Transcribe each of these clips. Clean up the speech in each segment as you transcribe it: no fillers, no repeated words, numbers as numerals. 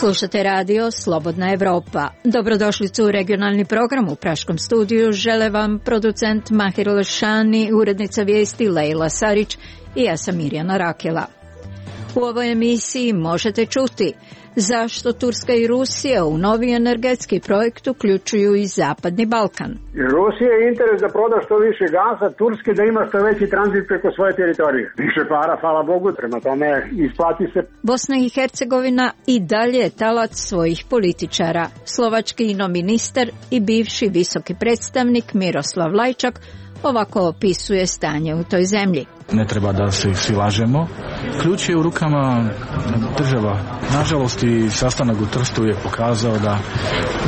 Slušate radio Slobodna Evropa. Dobrodošlicu u regionalni program. U praškom studiju žele vam producent Mahir Lešani, urednica vijesti Lejla Sarić i ja sam Mirjana Rakela. U ovoj emisiji možete čuti zašto Turska i Rusija u novi energetski projekt uključuju i Zapadni Balkan. Rusija je interes da proda što više gasa, Turske da ima što veći tranzit preko svoje teritorije. Više para, hvala Bogu, prema tome isplati se. Bosna i Hercegovina i dalje je talac svojih političara. Slovački inoministar i bivši visoki predstavnik Miroslav Lajčak ovako opisuje stanje u toj zemlji. Ne treba da se svi lažemo. Ključ je u rukama država. Nažalost i sastanak u Trstu je pokazao da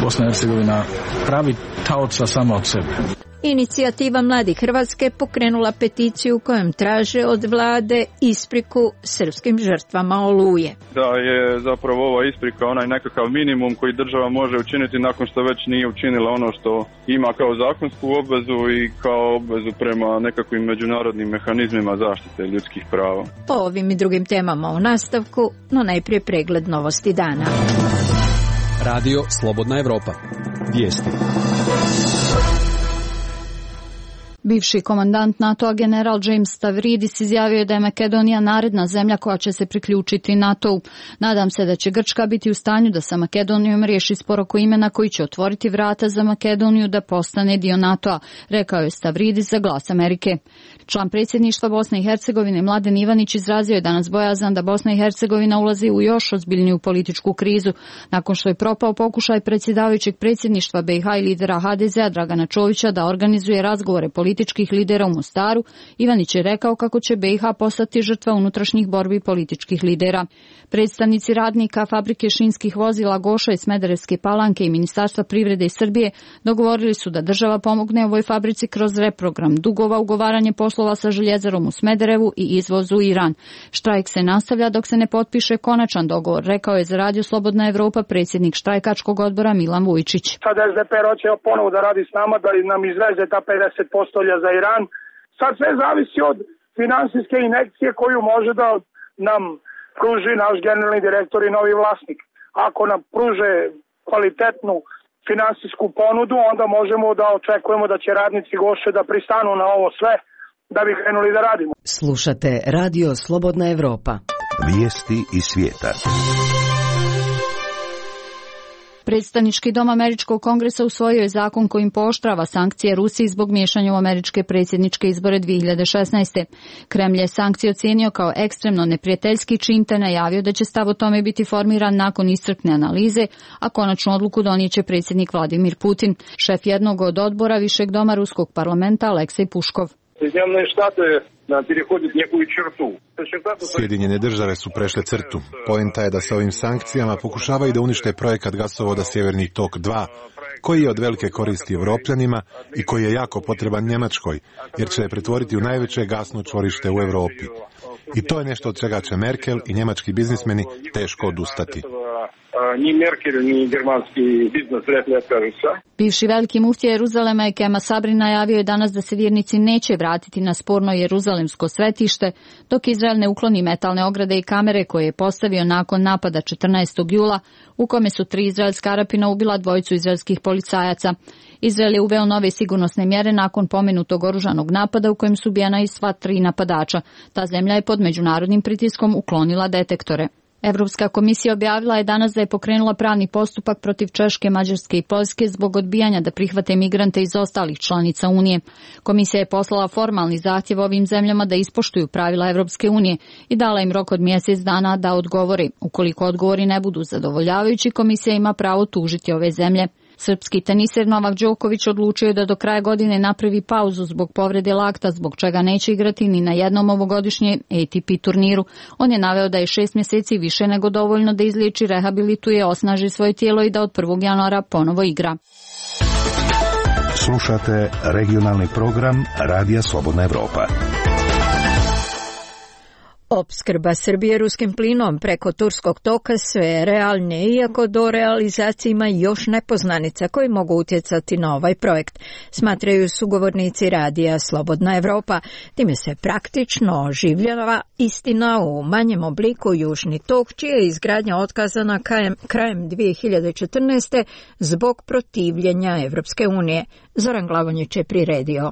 Bosna i Hercegovina pravi taoca samo od sebe. Inicijativa Mladi Hrvatske pokrenula peticiju kojom traže od vlade ispriku srpskim žrtvama Oluje. Da je zapravo ova isprika onaj nekakav minimum koji država može učiniti nakon što već nije učinila ono što ima kao zakonsku obvezu i kao obvezu prema nekakvim međunarodnim mehanizmima zaštite ljudskih prava. Po ovim i drugim temama u nastavku, no najprije pregled novosti dana. Radio Slobodna Evropa. Vijesti. Bivši komandant NATO-a general James Stavridis izjavio je da je Makedonija naredna zemlja koja će se priključiti NATO-u. Nadam se da će Grčka biti u stanju da sa Makedonijom riješi spor oko imena koji će otvoriti vrata za Makedoniju da postane dio NATO-a, rekao je Stavridis za Glas Amerike. Član predsjedništva Bosne i Hercegovine Mladen Ivanić izrazio je danas bojazan da Bosna i Hercegovina ulazi u još ozbiljniju političku krizu. Nakon što je propao pokušaj predsjedavajućeg predsjedništva BiH i lidera HDZ-a Dragana Čovića da organizuje razgovore političkih lidera u Mostaru, Ivanić je rekao kako će BiH postati žrtva unutrašnjih borbi političkih lidera. Predstavnici radnika fabrike šinskih vozila Goša iz Smederevske Palanke i Ministarstva privrede iz Srbije dogovorili su da država pomogne ovoj fabrici kroz reprogram dugova, ugovaranje poslova sa željezarom u Smederevu i izvoz u Iran. Štrajk se nastavlja dok se ne potpiše konačan dogovor, rekao je za Radio Slobodna Evropa predsjednik štrajkačkog odbora Milan Vujčić. Sad SDP hoće ponovo da radi s nama, da nam izveze ta 50% za Iran. Sad sve zavisi od finansijske injekcije koju može da nam pruži naš generalni direktor i novi vlasnik. Ako nam pruže kvalitetnu finansijsku ponudu, onda možemo da očekujemo da će radnici Goše da pristanu na ovo sve, da bi krenuli da radimo. Slušate Radio Slobodna Evropa. Vijesti iz svijeta. Predstavnički dom Američkog kongresa usvojio je zakon kojim pooštrava sankcije Rusiji zbog miješanja u američke predsjedničke izbore 2016. Kremlj je sankcije ocijenio kao ekstremno neprijateljski čin te najavio da će stav o tome biti formiran nakon iscrpne analize, a konačnu odluku donijeće predsjednik Vladimir Putin. Šef jednog od odbora Višeg doma Ruskog parlamenta Aleksej Puškov. Sjedinjene države su prešle crtu. Poenta je da se ovim sankcijama pokušavaju da unište projekat gasovoda Sjeverni tok 2, koji je od velike koristi Evropljanima i koji je jako potreban Njemačkoj, jer će je pretvoriti u najveće gasno čvorište u Europi. I to je nešto od čega će Merkel i njemački biznismeni teško odustati. Ni Merkel, ni germanski biznis rekli otkažu. Bivši veliki muftija Jeruzalema i Kema Sabri najavio je danas da se vjernici neće vratiti na sporno jeruzalemsko svetište, dok Izrael ne ukloni metalne ograde i kamere koje je postavio nakon napada 14. jula, u kome su 3 izraelska Arapina ubila 2 izraelskih policajaca. Izrael je uveo nove sigurnosne mjere nakon pomenutog oružanog napada u kojem su ubijena i sva 3 napadača. Ta zemlja je pod međunarodnim pritiskom uklonila detektore. Evropska komisija objavila je danas da je pokrenula pravni postupak protiv Češke, Mađarske i Poljske zbog odbijanja da prihvate migrante iz ostalih članica Unije. Komisija je poslala formalni zahtjev ovim zemljama da ispoštuju pravila Evropske unije i dala im rok od mjesec dana da odgovore. Ukoliko odgovori ne budu zadovoljavajući, komisija ima pravo tužiti ove zemlje. Srpski teniser Novak Đoković odlučio je da do kraja godine napravi pauzu zbog povrede lakta, zbog čega neće igrati ni na jednom ovogodišnje ATP turniru. On je naveo da je 6 mjeseci više nego dovoljno da izliječi, rehabilituje, osnaži svoje tijelo i da od 1. januara ponovo igra. Slušate regionalni program Radija Slobodna Evropa. Opskrba Srbije ruskim plinom preko Turskog toka sve je realnije, iako do realizacije ima još nepoznanica koji mogu utjecati na ovaj projekt, smatraju sugovornici radija Slobodna Evropa. Time se praktično oživljava istina u manjem obliku Južni tok, čija je izgradnja otkazana krajem 2014. zbog protivljenja Evropske unije. Zoran Glavonjić je priredio.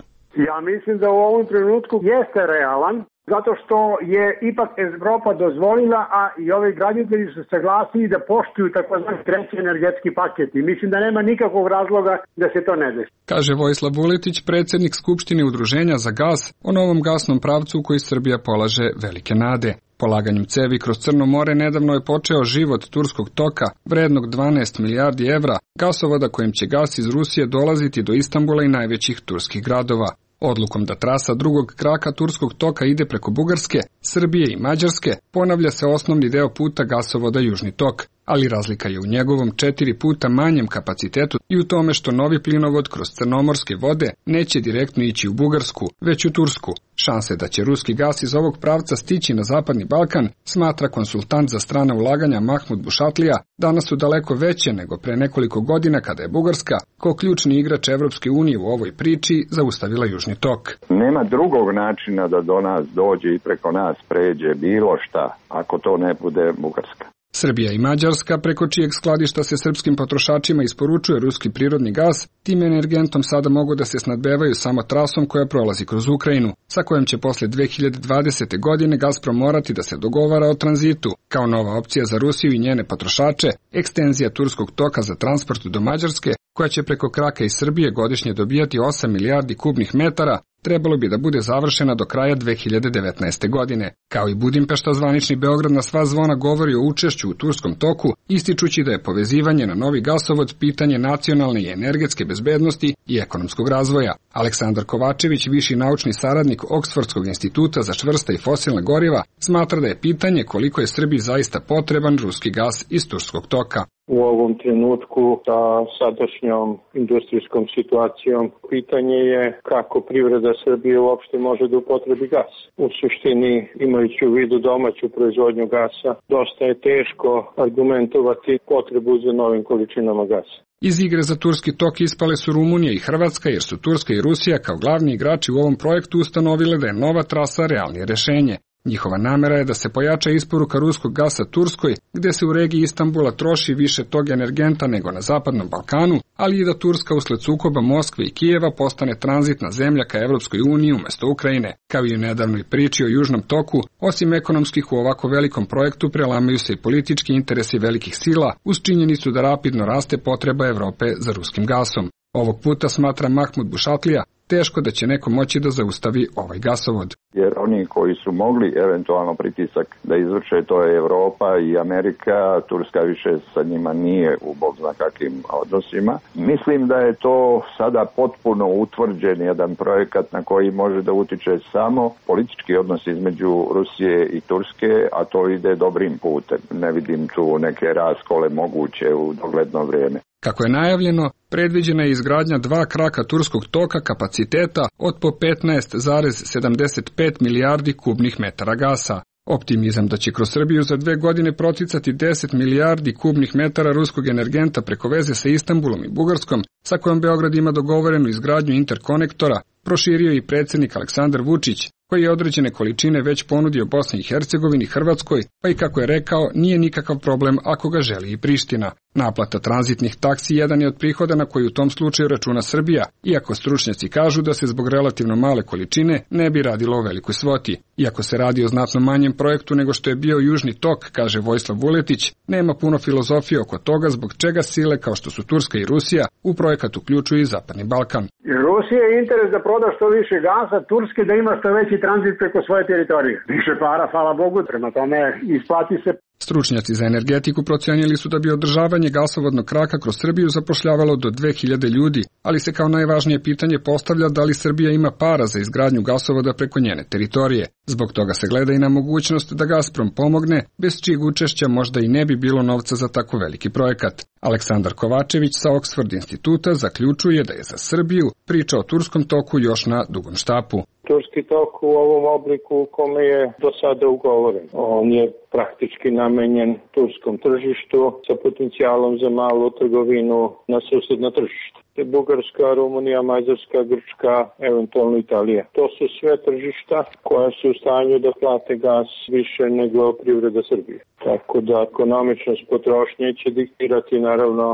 Ja mislim da u ovom trenutku jeste realan, zato što je ipak Evropa dozvolila, a i ovi graditelji su saglasili da poštuju takozvani treći energetski paket i mislim da nema nikakvog razloga da se to ne desi. Kaže Vojislav Vuletić, predsjednik Skupštine Udruženja za gas o novom gasnom pravcu u koji Srbija polaže velike nade. Polaganjem cevi kroz Crno more nedavno je počeo život Turskog toka, vrednog 12 milijardi evra, gasovoda kojim će gas iz Rusije dolaziti do Istanbula i najvećih turskih gradova. Odlukom da trasa drugog kraka Turskog toka ide preko Bugarske, Srbije i Mađarske, ponavlja se osnovni deo puta gasovoda Južni tok, ali razlika je u njegovom 4 puta manjem kapacitetu i u tome što novi plinovod kroz crnomorske vode neće direktno ići u Bugarsku, već u Tursku. Šanse da će ruski gas iz ovog pravca stići na Zapadni Balkan, smatra konsultant za strana ulaganja Mahmud Bušatlija, danas su daleko veće nego pre nekoliko godina kada je Bugarska, kao ključni igrač Evropske unije u ovoj priči, zaustavila Južni tok. Nema drugog načina da do nas dođe i preko nas pređe bilo šta, ako to ne bude Bugarska. Srbija i Mađarska, preko čijeg skladišta se srpskim potrošačima isporučuje ruski prirodni gas, tim energentom sada mogu da se snabdevaju samo trasom koja prolazi kroz Ukrajinu, sa kojom će posle 2020. godine Gazprom morati da se dogovara o tranzitu. Kao nova opcija za Rusiju i njene potrošače, ekstenzija Turskog toka za transport do Mađarske, koja će preko kraka iz Srbije godišnje dobijati 8 milijardi kubnih metara, trebalo bi da bude završena do kraja 2019. godine. Kao i Budimpešta, zvanični Beograd na sva zvona govori o učešću u Turskom toku, ističući da je povezivanje na novi gasovod pitanje nacionalne i energetske bezbednosti i ekonomskog razvoja. Aleksandar Kovačević, viši naučni saradnik Oksfordskog instituta za čvrsta i fosilna goriva, smatra da je pitanje koliko je Srbiji zaista potreban ruski gas iz Turskog toka. U ovom trenutku sa sadašnjom industrijskom situacijom pitanje je kako privreda Srbije uopšte može da upotrebi gas. U suštini, imajući u vidu domaću proizvodnju gasa, dosta je teško argumentovati potrebu za novim količinama gasa. Iz igre za Turski tok ispale su Rumunija i Hrvatska, jer su Turska i Rusija kao glavni igrači u ovom projektu ustanovile da je nova trasa realnije rešenje. Njihova namera je da se pojača isporuka ruskog gasa Turskoj, gde se u regiji Istanbula troši više tog energenta nego na Zapadnom Balkanu, ali i da Turska usled sukoba Moskve i Kijeva postane tranzitna zemlja ka Evropskoj uniji umjesto Ukrajine. Kao i u nedavnoj priči o Južnom toku, osim ekonomskih u ovako velikom projektu prelamaju se i politički interesi velikih sila, uz činjenicu da rapidno raste potreba Evrope za ruskim gasom. Ovog puta, smatra Mahmud Bušatlija, teško da će neko moći da zaustavi ovaj gasovod. Jer oni koji su mogli eventualno pritisak da izvrše, to je Evropa i Amerika, Turska više sa njima nije u bog zna kakvim odnosima. Mislim da je to sada potpuno utvrđen jedan projekat na koji može da utiče samo politički odnos između Rusije i Turske, a to ide dobrim putem. Ne vidim tu neke raskole moguće u dogledno vrijeme. Kako je najavljeno, predviđena je izgradnja 2 kraka Turskog toka kapaciteta od po 15,75 milijardi kubnih metara gasa. Optimizam da će kroz Srbiju za 2 godine proticati 10 milijardi kubnih metara ruskog energenta preko veze sa Istanbulom i Bugarskom, sa kojom Beograd ima dogovorenu izgradnju interkonektora, proširio i predsjednik Aleksandar Vučić, koji je određene količine već ponudio Bosni i Hercegovini, Hrvatskoj, pa i kako je rekao, nije nikakav problem ako ga želi i Priština. Naplata tranzitnih taksi jedan je od prihoda na koji u tom slučaju računa Srbija, iako stručnjaci kažu da se zbog relativno male količine ne bi radilo o velikoj svoti. Iako se radi o znatno manjem projektu nego što je bio Južni tok, kaže Vojislav Vuletić, nema puno filozofije oko toga zbog čega sile kao što su Turska i Rusija u projekat uključuju i Zapadni Balkan. Rusija je interes da proda što više gasa, Turske da ima što veći tranzit preko svoje teritorije. Više para, hvala Bogu, prema tome isplati se. Stručnjaci za energetiku procenili su da bi održavanje gasovodnog kraka kroz Srbiju zapošljavalo do 2000 ljudi, ali se kao najvažnije pitanje postavlja da li Srbija ima para za izgradnju gasovoda preko njene teritorije. Zbog toga se gleda i na mogućnost da Gazprom pomogne, bez čijeg učešća možda i ne bi bilo novca za tako veliki projekat. Aleksandar Kovačević sa Oxford instituta zaključuje da je za Srbiju priča o Turskom toku još na dugom štapu. Turski tok u ovom obliku u kome je do sada ugovoren. On je praktički namenjen turskom tržištu sa potencijalom za malu trgovinu na susedno tržište. Bugarska, Rumunija, Mađarska, Grčka, eventualno Italija. To su sve tržišta koja su u stanju da plate gas više nego privreda Srbije. Tako da ekonomičnost potrošnje će diktirati naravno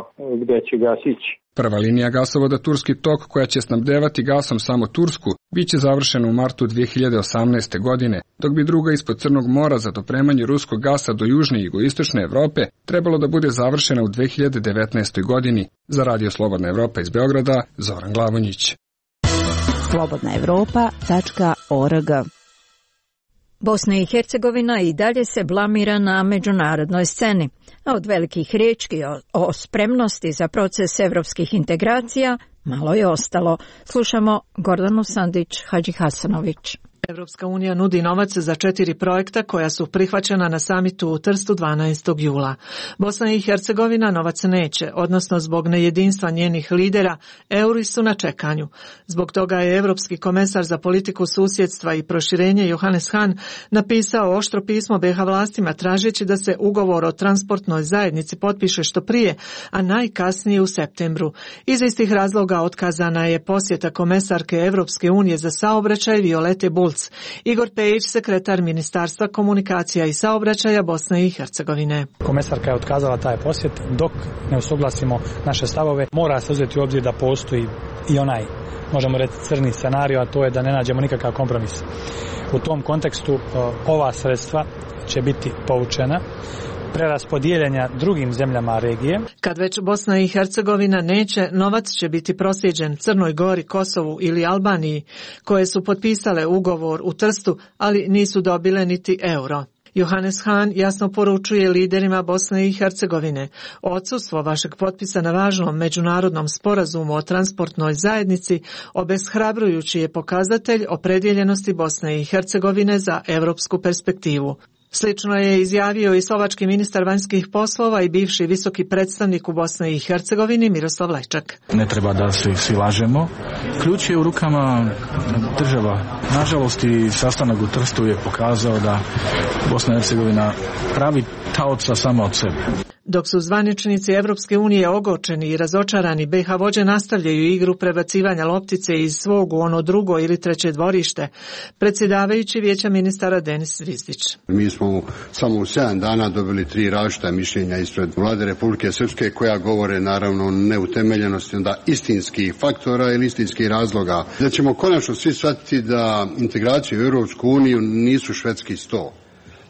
gde će gas ići. Prva linija gasovoda Turski tok, koja će snabdevati gasom samo Tursku, biće završena u martu 2018. godine, dok bi druga ispod Crnog mora za dopremanje ruskog gasa do južne i jugoistočne Evrope trebalo da bude završena u 2019. godini. Za Radio Slobodna Evropa iz Beograda, Zoran Glavonjić. slobodnaevropa.org. Bosna i Hercegovina i dalje se blamira na međunarodnoj sceni, a od velikih riječi o spremnosti za proces evropskih integracija malo je ostalo. Slušamo Gordanu Sandić-Hadžihasanović. Evropska unija nudi novac za 4 projekta koja su prihvaćena na samitu u Trstu 12. jula. Bosna i Hercegovina novac neće, odnosno zbog nejedinstva njenih lidera, euri su na čekanju. Zbog toga je Evropski komesar za politiku susjedstva i proširenje Johannes Hahn napisao oštro pismo BiH vlastima tražeći da se ugovor o transportnoj zajednici potpiše što prije, a najkasnije u septembru. Iz istih razloga otkazana je posjeta komesarke Evropske unije za saobraćaj Violete Bulc. Igor Pejić, sekretar Ministarstva komunikacija i saobraćaja Bosne i Hercegovine. Komesarka je otkazala taj posjet dok ne usuglasimo naše stavove. Mora se uzeti u obzir da postoji i onaj, možemo reći, crni scenario, a to je da ne nađemo nikakav kompromis. U tom kontekstu ova sredstva će biti povučena, preraspodijeljenja drugim zemljama regije. Kad već Bosna i Hercegovina neće, novac će biti proslijeđen Crnoj Gori, Kosovu ili Albaniji, koje su potpisale ugovor u Trstu, ali nisu dobile niti euro. Johannes Hahn jasno poručuje liderima Bosne i Hercegovine: odsustvo vašeg potpisa na važnom međunarodnom sporazumu o transportnoj zajednici obeshrabrujući je pokazatelj opredjeljenosti Bosne i Hercegovine za europsku perspektivu. Slično je izjavio i slovački ministar vanjskih poslova i bivši visoki predstavnik u Bosni i Hercegovini Miroslav Lajčak. Ne treba da se svi lažemo. Ključ je u rukama država. Nažalost, i sastanak u Trstu je pokazao da Bosna i Hercegovina pravi taoca samo od sebe. Dok su zvaničnici Evropske unije ogorčeni i razočarani, BiH vođe nastavljaju igru prebacivanja loptice iz svog u ono drugo ili treće dvorište. Predsjedavajući Vijeća ministara Denis Zvizdić. Mi smo samo u 7 dana dobili 3 različita mišljenja ispred Vlade Republike Srpske koja govore naravno neutemeljenosti onda istinskih faktora ili istinskih razloga. Da ćemo konačno svi shvatiti da integracije u Europsku uniju nisu švedski sto.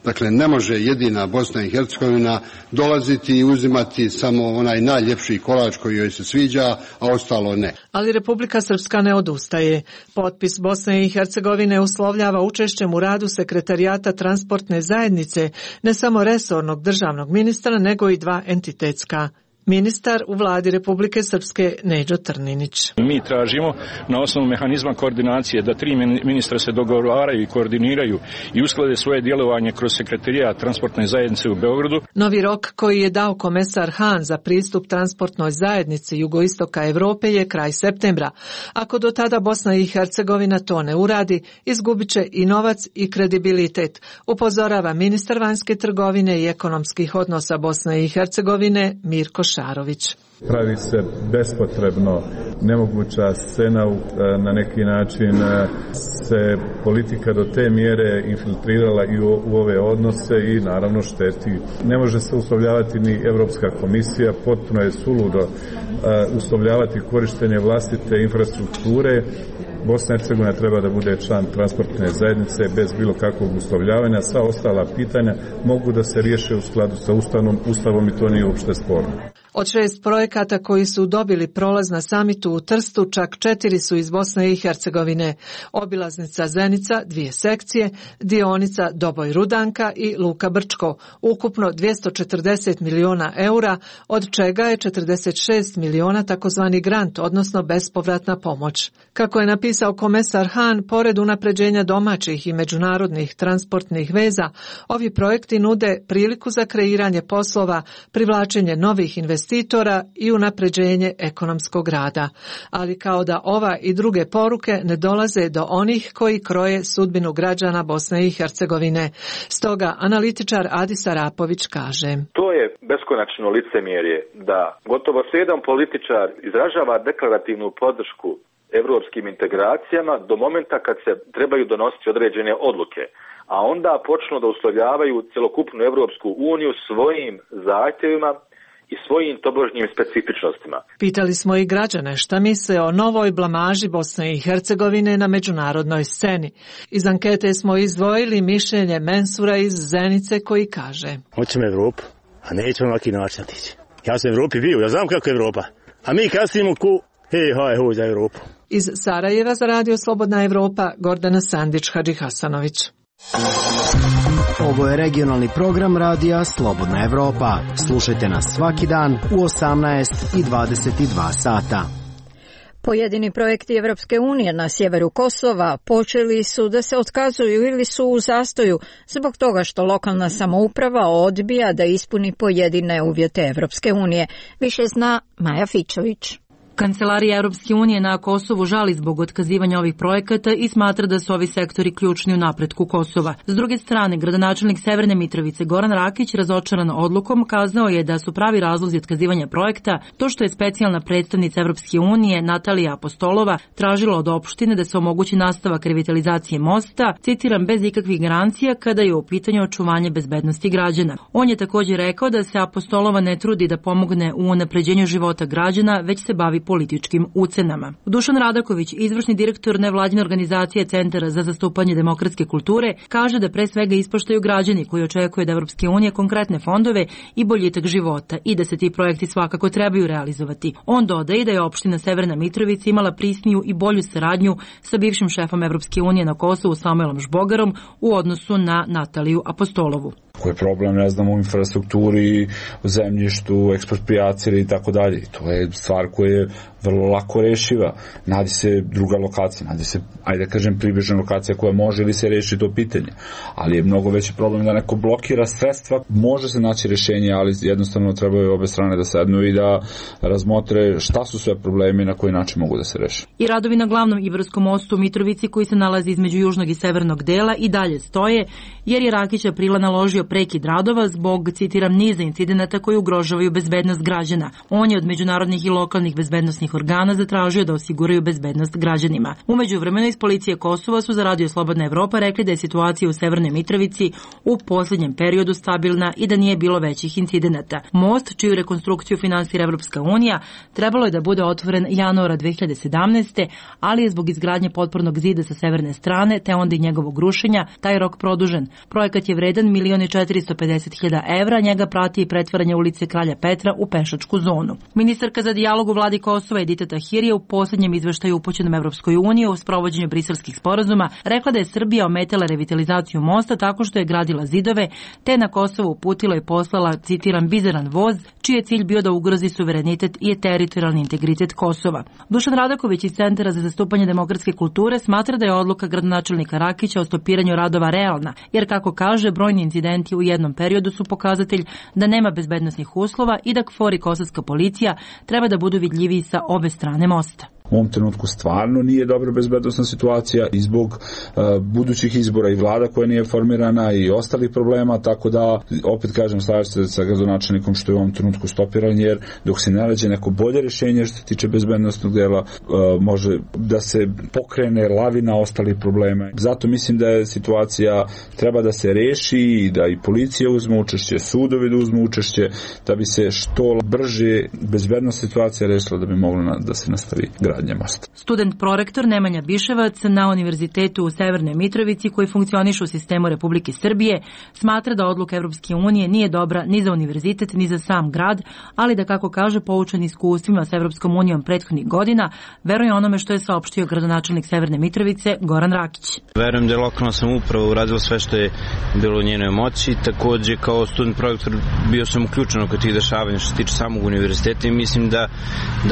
Dakle, ne može jedina Bosna i Hercegovina dolaziti i uzimati samo onaj najljepši kolač koji joj se sviđa, a ostalo ne. Ali Republika Srpska ne odustaje. Potpis Bosne i Hercegovine uslovljava učešćem u radu sekretarijata transportne zajednice, ne samo resornog državnog ministra, nego i 2 entitetska. Ministar u vladi Republike Srpske Neđo Trninić. Mi tražimo na osnovu mehanizma koordinacije da 3 ministra se dogovaraju i koordiniraju i usklade svoje djelovanje kroz sekretarijat transportne zajednice u Beogradu. Novi rok koji je dao komesar Hahn za pristup transportnoj zajednici jugoistoka Evrope je kraj septembra. Ako do tada Bosna i Hercegovina to ne uradi, izgubit će i novac i kredibilitet, upozorava ministar vanjske trgovine i ekonomskih odnosa Bosne i Hercegovine Mirko Šarović. Pravi se bespotrebno nemoguća scena, na neki način se politika do te mjere infiltrirala i u ove odnose i naravno šteti. Ne može se uslovljavati ni Evropska komisija, potpuno je suludo uslovljavati korištenje vlastite infrastrukture. Bosna i Hercegovina treba da bude član transportne zajednice bez bilo kakvog uslovljavanja. Sva ostala pitanja mogu da se riješe u skladu sa Ustavom i to nije uopšte sporno. Od 6 projekata koji su dobili prolaz na samitu u Trstu, čak 4 su iz Bosne i Hercegovine. Obilaznica Zenica, 2 sekcije, dionica Doboj-Rudanka i Luka Brčko, ukupno 240 miliona eura, od čega je 46 miliona takozvani grant, odnosno bespovratna pomoć. Kako je napisao komesar Hahn, pored unapređenja domaćih i međunarodnih transportnih veza, ovi projekti nude priliku za kreiranje poslova, privlačenje novih investicija investitora i unapređenje ekonomskog rada. Ali kao da ova i druge poruke ne dolaze do onih koji kroje sudbinu građana Bosne i Hercegovine. Stoga analitičar Adis Arapović kaže: To je beskonačno licemjerje da gotovo jedan političar izražava deklarativnu podršku evropskim integracijama do momenta kad se trebaju donositi određene odluke, a onda počnu da uslovljavaju celokupnu Evropsku uniju svojim zahtjevima i svojim tobožnjim specifičnostima. Pitali smo i građane šta misle o novoj blamaži Bosne i Hercegovine na međunarodnoj sceni. Iz ankete smo izdvojili mišljenje Mensura iz Zenice koji kaže: Hoćemo Evropu, a nećemo na ovaki način otići. Ja sam u Evropi bio, ja znam kako je Evropa, a mi kasnimo ku hoj za Evropu. Iz Sarajeva za Radio Slobodna Evropa, Gordana Sandić Hadžihasanović. Ovo je regionalni program Radija Slobodna Evropa. Slušajte nas svaki dan u 18 i 22 sata. Pojedini projekti Evropske unije na sjeveru Kosova počeli su da se otkazuju ili su u zastoju zbog toga što lokalna samouprava odbija da ispuni pojedine uvjete Evropske unije. Više zna Maja Fičović. Kancelarija Europske unije na Kosovu žali zbog otkazivanja ovih projekata i smatra da su ovi sektori ključni u napretku Kosova. S druge strane, gradonačelnik Severne Mitrovice Goran Rakić, razočaran odlukom, kazao je da su pravi razlozi otkazivanja projekta to što je specijalna predstavnica Europske unije Natalija Apostolova tražila od opštine da se omogući nastavak revitalizacije mosta, citiram, bez ikakvih garancija kada je u pitanju očuvanje bezbednosti građana. On je također rekao da se Apostolova ne trudi da pomogne u unapređenju života građana, već se bavi političkim ucenama. Dušan Radaković, izvršni direktor nevladine organizacije Centara za zastupanje demokratske kulture, kaže da pre svega ispoštaju građani koji očekuju od Evropske unije konkretne fondove i boljitak života i da se ti projekti svakako trebaju realizovati. On dodaje da je opština Severna Mitrovica imala prisniju i bolju saradnju sa bivšim šefom Evropske unije na Kosovu Samuelom Žbogarom u odnosu na Nataliju Apostolovu. Koji je problem, ne znam, u infrastrukturi, u zemljištu, ekspropriaciji i tako dalje. To je stvar koja je vrlo lako rešiva. Nađe se druga lokacija, nađe se, ajde kažem, približna lokacija koja može ili se reši to pitanje. Ali je mnogo veći problem da neko blokira sredstva. Može se naći rješenje, ali jednostavno trebaju obe strane da sednu i da razmotre šta su sve problemi i na koji način mogu da se reše. I radovi na glavnom Ibarskom mostu u Mitrovici koji se nalazi između južnog i severnog dela i dalje stoje, jer je Rakić aprila naložio prekid radova zbog, citiram, niza incidenata koji ugrožavaju bezbednost građana. On je od međunarodnih i lokalnih bezbednosnih organa zatražio da osiguraju bezbednost građanima. U međuvremenu iz policije Kosova su za Radio Slobodna Evropa rekli da je situacija u Severnoj Mitrovici u posljednjem periodu stabilna i da nije bilo većih incidenata. Most, čiju rekonstrukciju finansira Evropska unija, trebalo je da bude otvoren januara 2017. ali je zbog izgradnje potpornog zida sa severne strane, te onda i njegovog rušenja, taj rok produžen. Projekat je vredan 1.450.000 evra, njega prati i pretvaranje ulice Kralja Petra u pešačku zonu. Ministarka za dijalog u vladi Kosova Edita Tahiri je u posljednjem izveštaju upućenom Evropskoj uniji o sprovođenju briselskih sporazuma rekla da je Srbija ometala revitalizaciju mosta tako što je gradila zidove, te na Kosovo uputila i poslala, citiram, bizaran voz, čiji je cilj bio da ugrozi suverenitet i teritorijalni integritet Kosova. Dušan Radaković iz Centara za zastupanje demokratske kulture smatra da je odluka gradonačelnika Rakića o stopiranju radova realna, jer kako kaže, brojni incidenti u jednom periodu su pokazatelj da nema bezbednosnih uslova i da KFOR i kosovska policija treba da budu vidljiviji sa obe strane mosta. U ovom trenutku stvarno nije dobra bezbednosna situacija i zbog budućih izbora i vlada koja nije formirana i ostalih problema, tako da opet kažem, slažem se sa gradonačelnikom što je u ovom trenutku stopiran, jer dok se ne nađe neko bolje rješenje što se tiče bezbednosnog dela, može da se pokrene lavina ostalih problema. Zato mislim da je situacija treba da se reši i da i policija uzme učešće, sudovi da uzme učešće, da bi se što brže bezbedna situacija rešila da bi moglo da se nastavi gradnja mosta. Student prorektor Nemanja Biševac na Univerzitetu u Severnoj Mitrovici koji funkcioniše u sistemu Republike Srbije smatra da odluka Evropske unije nije dobra ni za univerzitet ni za sam grad, ali da, kako kaže, poučen iskustvima sa Evropskom unijom prethodnih godina, veruje onome što je saopštio gradonačelnik Severne Mitrovice Goran Rakić. Verujem da je lokalna samouprava uradila sve što je bilo u njenoj moći. Takođe, kao student prorektor bio sam uključen oko tih dešavanja što se tiče samog univerziteta i mislim da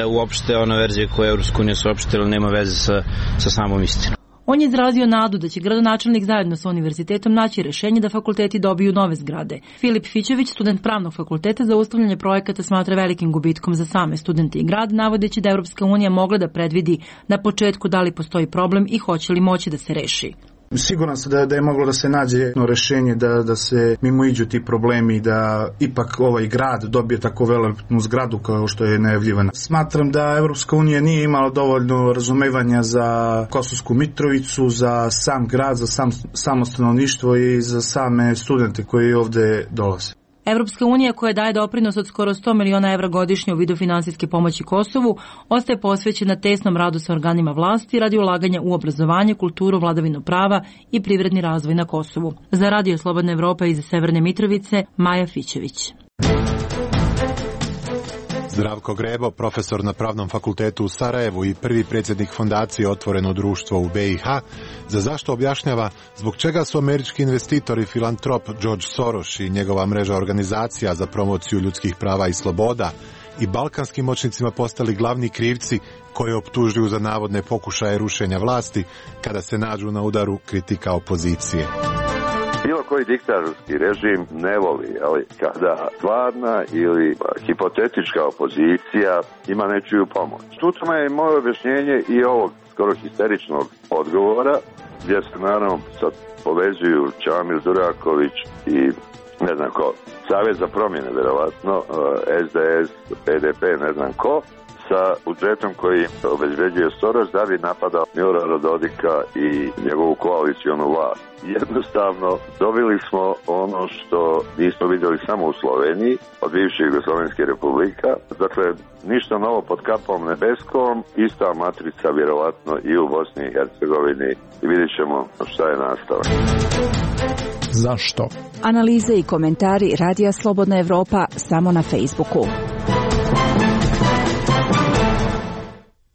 uopšte ona verzija koja Evropska unija saopštila nema veze sa samom istinom. On je izrazio nadu da će gradonačelnik zajedno sa univerzitetom naći rešenje da fakulteti dobiju nove zgrade. Filip Fićević, student pravnog fakulteta, zaustavljanje projekata smatra velikim gubitkom za same studente i grad, navodeći da Evropska unija mogla da predvidi na početku da li postoji problem i hoće li moći da se reši. Siguran sam da je moglo da se nađe jedno rešenje, da se mimoiđu ti problemi, da ipak ovaj grad dobije tako veliku zgradu kao što je najavljivana. Smatram da Evropska unija nije imala dovoljno razumevanja za Kosovsku Mitrovicu, za sam grad, za samo stanovništvo i za same studente koji ovde dolaze. Evropska unija, koja daje doprinos od skoro 100 miliona evra godišnje u vidu finansijske pomoći Kosovu, ostaje posvećena tesnom radu sa organima vlasti radi ulaganja u obrazovanje, kulturu, vladavinu prava i privredni razvoj na Kosovu. Za Radio Slobodna Evropa iz Severne Mitrovice, Maja Fićević. Zdravko Grebo, profesor na Pravnom fakultetu u Sarajevu i prvi predsjednik fondacije Otvoreno društvo u BiH, za zašto objašnjava zbog čega su američki investitor i filantrop George Soros i njegova mreža organizacija za promociju ljudskih prava i sloboda i balkanskim moćnicima postali glavni krivci koje optužuju za navodne pokušaje rušenja vlasti kada se nađu na udaru kritika opozicije. Bilo koji diktatorski režim ne voli, ali kada stvarna ili hipotetička opozicija ima nečiju pomoć. Tu je moje objašnjenje i ovog skoro histeričnog odgovora, gdje se naravno sad povezuju Čamil Duraković i ne znam ko, Savez za promjene, verovatno, SDS, PDP, ne znam ko, sa budžetom koji obezbeđuje Soros da bi napadao Milorada Dodika i njegovu koalicionu vlast. Jednostavno, dobili smo ono što nismo vidjeli samo u Sloveniji, od bivših Jugoslovenskih republika. Dakle, ništa novo pod kapom nebeskom, ista matrica vjerovatno i u Bosni i Hercegovini i vidjet ćemo šta je nastavak. Zašto? Analize i komentari Radija Slobodna Evropa samo na Facebooku.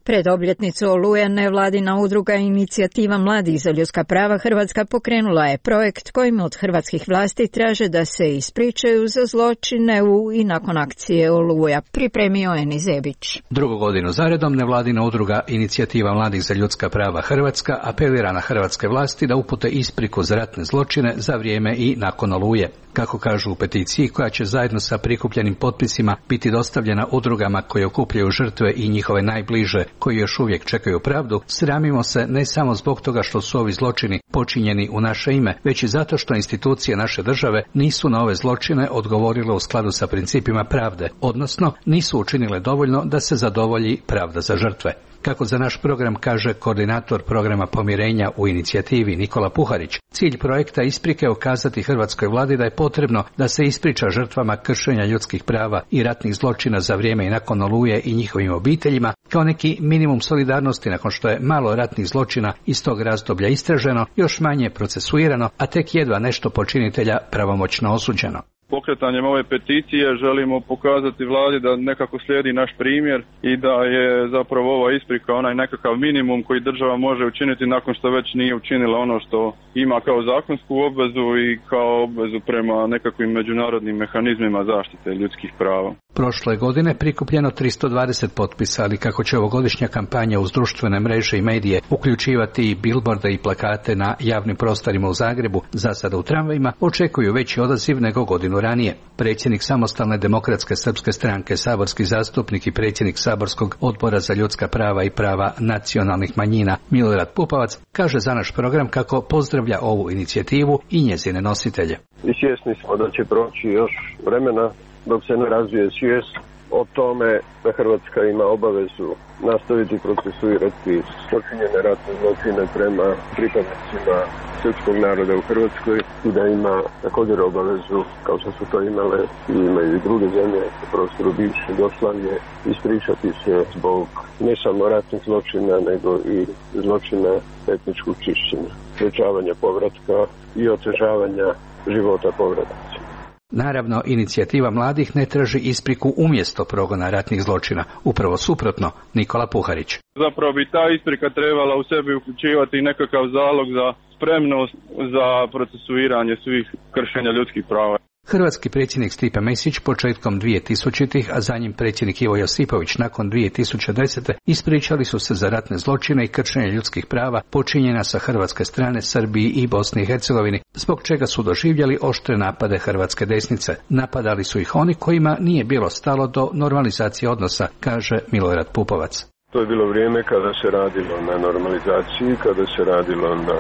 Pred obljetnicu Oluje nevladina udruga Inicijativa mladih za ljudska prava Hrvatska pokrenula je projekt kojim od hrvatskih vlasti traže da se ispričaju za zločine u i nakon akcije Oluja. Pripremio Eni Zebić. Drugu godinu zaredom nevladina udruga Inicijativa mladih za ljudska prava Hrvatska apelira na hrvatske vlasti da upute ispriku za ratne zločine za vrijeme i nakon Oluje. Kako kažu u peticiji koja će zajedno sa prikupljenim potpisima biti dostavljena udrugama koje okupljaju žrtve i njihove najbliže koji još uvijek čekaju pravdu, sramimo se ne samo zbog toga što su ovi zločini počinjeni u naše ime, već i zato što institucije naše države nisu na ove zločine odgovorile u skladu sa principima pravde, odnosno nisu učinile dovoljno da se zadovolji pravda za žrtve. Kako za naš program kaže koordinator programa pomirenja u inicijativi Nikola Puharić, cilj projekta isprike je ukazati hrvatskoj vladi da je potrebno da se ispriča žrtvama kršenja ljudskih prava i ratnih zločina za vrijeme i nakon Oluje i njihovim obiteljima, kao neki minimum solidarnosti nakon što je malo ratnih zločina iz tog razdoblja istraženo, još manje procesuirano, a tek jedva nešto počinitelja pravomoćno osuđeno. Pokretanjem ove peticije želimo pokazati vladi da nekako slijedi naš primjer i da je zapravo ova isprika onaj nekakav minimum koji država može učiniti nakon što već nije učinila ono što ima kao zakonsku obvezu i kao obvezu prema nekakvim međunarodnim mehanizmima zaštite ljudskih prava. Prošle godine prikupljeno 320 potpisa, ali kako će ovogodišnja kampanja uz društvene mreže i medije uključivati i bilborde i plakate na javnim prostorima u Zagrebu, za sada u tramvajima, očekuju veći odaziv nego godinu ranije. Predsjednik Samostalne demokratske srpske stranke, saborski zastupnik i predsjednik saborskog odbora za ljudska prava i prava nacionalnih manjina Milorad Pupovac kaže za naš program kako pozdravlja ovu inicijativu i njezine nositelje. I svjesni smo da će proći još vremena dok se ne razvije svijest o tome da Hrvatska ima obavezu nastaviti procesuirati počinjene ratne zločine prema pripadnicima srpskog naroda u Hrvatskoj i da ima također obavezu, kao što su to imale i imaju i druge zemlje u prostoru bivše Jugoslavije, ispričati se zbog ne samo ratnih zločina, nego i zločina etničkog čišćenja, sprečavanja povratka i otežavanja života povratnika. Naravno, inicijativa mladih ne traži ispriku umjesto progona ratnih zločina. Upravo suprotno, Nikola Puharić. Zapravo bi ta isprika trebala u sebi uključivati nekakav zalog za spremnost za procesuiranje svih kršenja ljudskih prava. Hrvatski predsjednik Stipe Mesić početkom 2000-ih, a za njim predsjednik Ivo Josipović nakon 2010. ispričali su se za ratne zločine i kršenje ljudskih prava počinjena sa hrvatske strane Srbiji i Bosni i Hercegovini, zbog čega su doživjeli oštre napade hrvatske desnice. Napadali su ih oni kojima nije bilo stalo do normalizacije odnosa, kaže Milorad Pupovac. To je bilo vrijeme kada se radilo na normalizaciji, kada se radilo na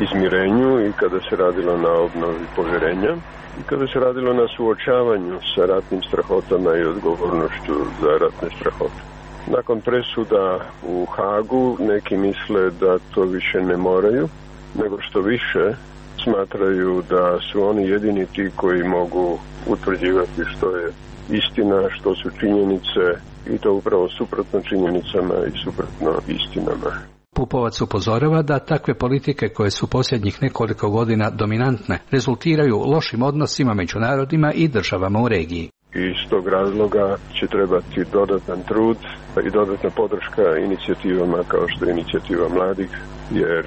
izmirenju i kada se radilo na obnovi povjerenja i kada se radilo na suočavanju sa ratnim strahotama i odgovornošću za ratne strahote. Nakon presuda u Hagu neki misle da to više ne moraju, nego što više smatraju da su oni jedini ti koji mogu utvrđivati što je istina, što su činjenice, i to upravo suprotno činjenicama i suprotno istinama. Pupovac upozorava da takve politike koje su posljednjih nekoliko godina dominantne rezultiraju lošim odnosima među narodima i državama u regiji. I iz tog razloga će trebati dodatan trud i dodatna podrška inicijativama kao što je inicijativa mladih, jer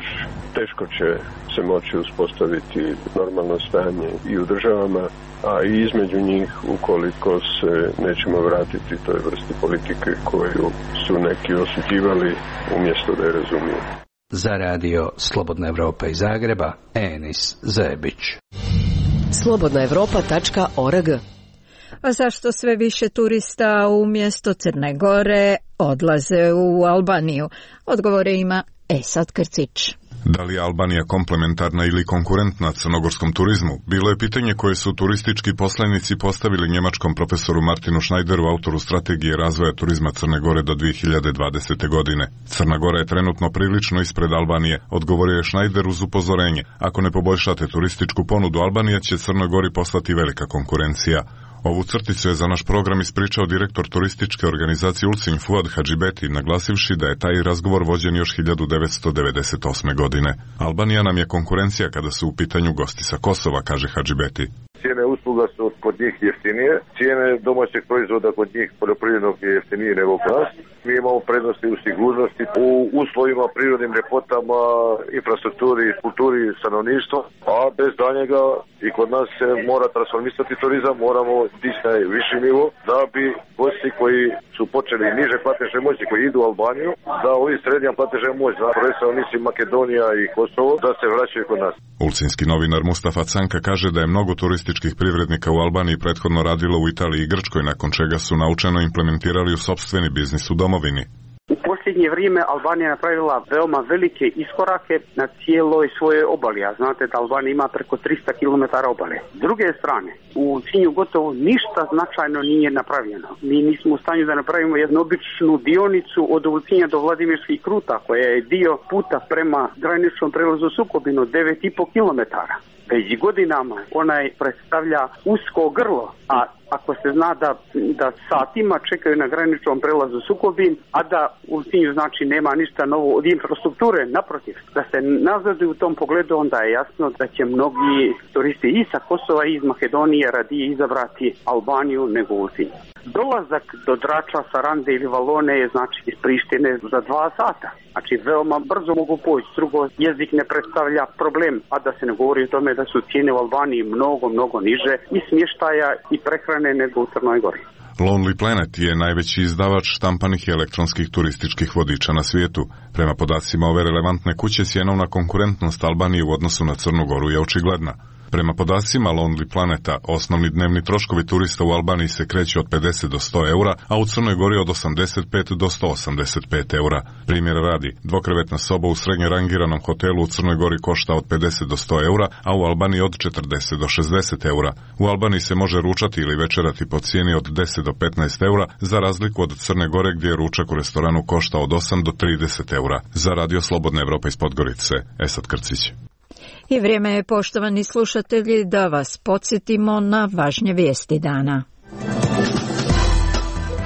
teško će se moći uspostaviti normalno stanje i u državama, a i između njih ukoliko se nećemo vratiti toj vrsti politike koju su neki osuđivali umjesto da je razumiju. Za radio Slobodna Evropa iz Zagreba, Enis Zebić. slobodnaevropa.org. A zašto sve više turista umjesto Crne Gore odlaze u Albaniju? Odgovore ima Esad Krcić. Da li je Albanija komplementarna ili konkurentna crnogorskom turizmu? Bilo je pitanje koje su turistički poslanici postavili njemačkom profesoru Martinu Schneideru, autoru strategije razvoja turizma Crne Gore do 2020. godine. Crna Gora je trenutno prilično ispred Albanije, odgovorio je Schneider uz upozorenje. Ako ne poboljšate turističku ponudu, Albanija će Crnoj Gori postati velika konkurencija. Ovu crticu je za naš program ispričao direktor turističke organizacije Ulcinj Fuad Hadžibeti, naglasivši da je taj razgovor vođen još 1998. godine. Albanija nam je konkurencija kada su u pitanju gosti sa Kosova, kaže Hadžibeti. Cijene usluga su kod njih jeftinije, cijene domaćeg proizvoda kod njih poljoprivrednog je jeftinije nego kod nas. Mi imamo prednosti u sigurnosti, u uslovima, prirodnim ljepotama, infrastrukturi, kulturi, stanovništva, a bez daljnjega i kod nas se mora transformisati turizam, moramo dići na viši nivo da bi gosti koji su počeli niže platežne moći, koji idu u Albaniju, da ovi srednja platežne moć, prvenstveno mislim Makedonija i Kosovo, da se vraćaju kod nas. Ulcinski novinar Mustafa Canka kaže da je mnogo turističkih privrednika u Albaniji prethodno radilo u Italiji i Grčkoj, nakon čega su naučeno implementirali u sopstveni biznis u domovini. U posljednje vrijeme Albanija je napravila veoma velike iskorake na cijeloj svojoj obali, a znate da Albanija ima preko 300 km obale. S druge strane, u Ulcinju gotovo ništa značajno nije napravljeno. Mi nismo u stanju da napravimo jednu običnu dionicu od Ulcinja do Vladimirskih Kruta, koja je dio puta prema graničnom prelazu Sukobinu, 9,5 km. Već godinama onaj predstavlja usko grlo, a ako se zna da satima čekaju na graničnom prelazu Sukobin, a da u Ulcinju znači nema ništa novo od infrastrukture, naprotiv, da se nazaduju u tom pogledu, onda je jasno da će mnogi turisti i sa Kosova i iz Makedonije radije izabrati Albaniju nego Ulcinj. Dolazak do Drača, Sarande ili Valone je znači iz Prištine za 2 sata. Znači veoma brzo mogu poći, drugo jezik ne predstavlja problem, a da se ne govori o tome da su cijene u Albaniji mnogo niže i smještaja i prehrane nego u Crnoj Gori. Lonely Planet je najveći izdavač štampanih i elektronskih turističkih vodiča na svijetu. Prema podacima ove relevantne kuće, cjenovna konkurentnost Albanije u odnosu na Crnu Goru je očigledna. Prema podacima Lonely Planeta, osnovni dnevni troškovi turista u Albaniji se kreću od 50 do 100 eura, a u Crnoj Gori od 85 do 185 eura. Primjera radi, dvokrevetna soba u srednje rangiranom hotelu u Crnoj Gori košta od 50 do 100 eura, a u Albaniji od 40 do 60 eura. U Albaniji se može ručati ili večerati po cijeni od 10 do 15 eura, za razliku od Crne Gore gdje ručak u restoranu košta od 8 do 30 eura. Za radio Slobodna Evropa iz Podgorice, Esad Krcić. I vrijeme je, poštovani slušatelji, da vas podsjetimo na važnje vijesti dana.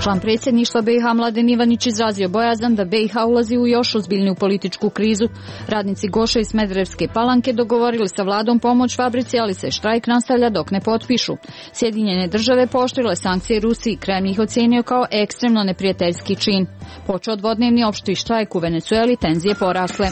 Član predsjedništva BiH Mladen Ivanić izrazio bojazan da BiH ulazi u još ozbiljniju političku krizu. Radnici Goše i Smederevske Palanke dogovorili sa vladom pomoć fabrici, ali se štrajk nastavlja dok ne potpišu. Sjedinjene države pooštrile sankcije Rusiji, Kreml ih ocijenio kao ekstremno neprijateljski čin. Počeo dvodnevni opšti štrajk u Venecueli, tenzije porasle.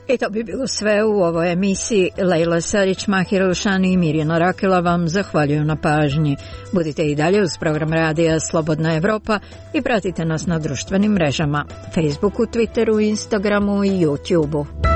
I to bi bilo sve u ovoj emisiji. Lejla Sarić, Mahir El-Šani i Mirjana Rakela vam zahvaljuju na pažnji. Budite i dalje uz program radija Slobodna Evropa i pratite nas na društvenim mrežama, Facebooku, Twitteru, Instagramu i YouTubeu.